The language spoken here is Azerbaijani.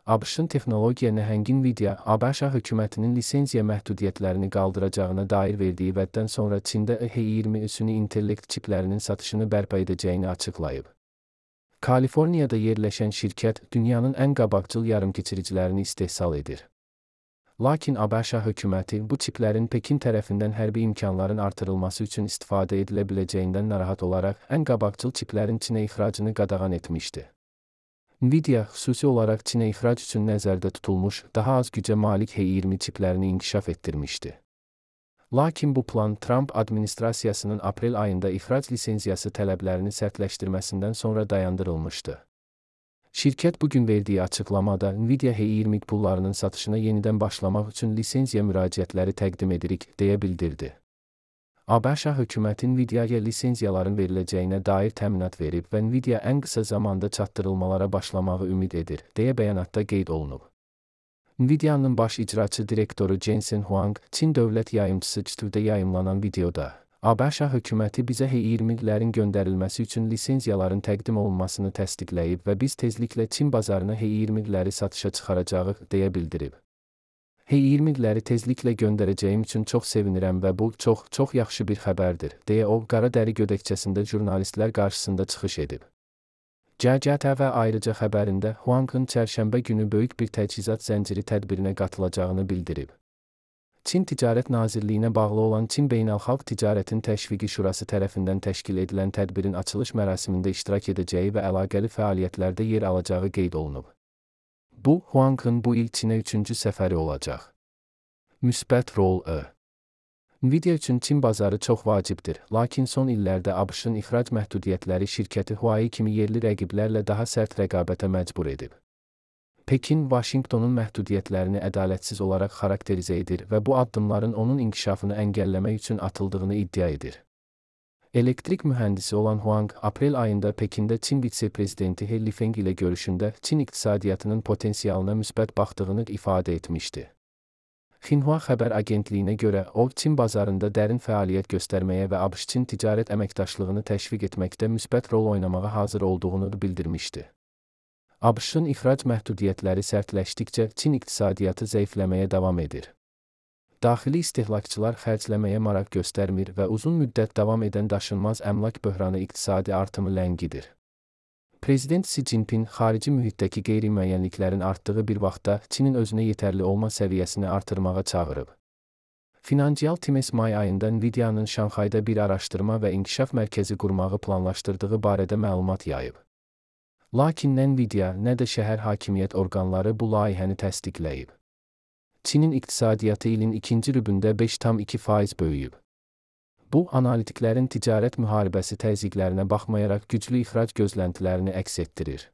ABŞ-ın texnologiya nəhəngi Nvidia, ABŞ hökumətinin lisenziya məhdudiyyətlərini qaldıracağına dair verdiyi vəddən sonra Çində H20 süni intellekt çiplərinin satışını bərpa edəcəyini açıqlayıb. Kaliforniyada yerləşən şirkət dünyanın ən qabaqcıl yarımkeçiricilərini istehsal edir. Lakin ABŞ hökuməti bu çiplərin Pekin tərəfindən hərbi imkanların artırılması üçün istifadə edilə biləcəyindən narahat olaraq ən qabaqcıl çiplərin Çinə ixracını qadağan etmişdi. Nvidia xüsusi olaraq Çinə ixrac üçün nəzərdə tutulmuş, daha az gücə malik H20 çiplərini inkişaf etdirmişdi. Lakin bu plan Trump administrasiyasının aprel ayında ixrac lisenziyası tələblərini sərtləşdirməsindən sonra dayandırılmışdı. Şirkət bugün verdiyi açıqlamada Nvidia H20 pullarının satışına yenidən başlamaq üçün lisenziya müraciətləri təqdim edirik, deyə bildirdi. ABŞ hökuməti Nvidia'ya lisenziyaların veriləcəyinə dair təminat verib və Nvidia ən qısa zamanda çatdırılmalara başlamağı ümid edir, deyə bəyanatda qeyd olunub. Nvidia'nın baş icraçı direktoru Jensen Huang, Çin dövlət yayımçısı Çitüdə yayımlanan videoda, ABŞ hökuməti bizə H20'lərin göndərilməsi üçün lisenziyaların təqdim olunmasını təsdiqləyib və biz tezliklə Çin bazarına H20'ləri satışa çıxaracağıq, deyə bildirib. H20'ləri tezliklə göndərəcəyim üçün çox sevinirəm və bu çox yaxşı bir xəbərdir, deyə o, qara dəri gödəkçəsində jurnalistlər qarşısında çıxış edib. CCTV ayrıca xəbərində Huang'ın çərşənbə günü böyük bir təchizat zənciri tədbirinə qatılacağını bildirib. Çin Ticarət Nazirliyinə bağlı olan Çin Beynəlxalq Ticarətin Təşviqi Şurası tərəfindən təşkil edilən tədbirin açılış mərasimində iştirak edəcəyi və əlaqəli fəaliyyətlərdə yer alacağı qeyd olunub. Bu, Huang'ın bu il Çinə 3-cü səfəri olacaq. Müsbət rol Nvidia üçün Çin bazarı çox vacibdir, lakin son illərdə ABŞ-ın ixrac məhdudiyyətləri şirkəti Huawei kimi yerli rəqiblərlə daha sərt rəqabətə məcbur edib. Pekin, Vaşinqtonun məhdudiyyətlərini ədalətsiz olaraq xarakterizə edir və bu addımların onun inkişafını əngəlləmək üçün atıldığını iddia edir. Elektrik mühəndisi olan Huang, aprel ayında Pekində Çin vitse-prezidenti He Lifeng ilə görüşündə Çin iqtisadiyyatının potensialına müsbət baxdığını ifadə etmişdi. Xinhua xəbər agentliyinə görə, o, Çin bazarında dərin fəaliyyət göstərməyə və ABŞ-Çin ticarət əməkdaşlığını təşviq etməkdə müsbət rol oynamağa hazır olduğunu bildirmişdi. ABŞ-ın ixrac məhdudiyyətləri sərtləşdikcə Çin iqtisadiyyatı zəifləməyə davam edir. Daxili istehlakçılar xərcləməyə maraq göstərmir və uzun müddət davam edən daşınmaz əmlak böhranı iqtisadi artımı ləngidir. Prezident Xi Jinping xarici mühitdəki qeyri-müəyyənliklərin artdığı bir vaxtda Çinin özünə yetərli olma səviyyəsini artırmağa çağırıb. Financial Times may ayında Nvidia'nın Şanxayda bir araşdırma və inkişaf mərkəzi qurmağı planlaşdırdığı barədə məlumat yayıb. Lakin nə Nvidia, nə də şəhər hakimiyyət orqanları bu layihəni təsdiqləyib. Çinin iqtisadiyyatı ilin ikinci rübündə 5,2% böyüyüb. Bu, analitiklərin ticarət müharibəsi təzyiqlərinə baxmayaraq güclü ixrac gözləntilərini əks etdirir.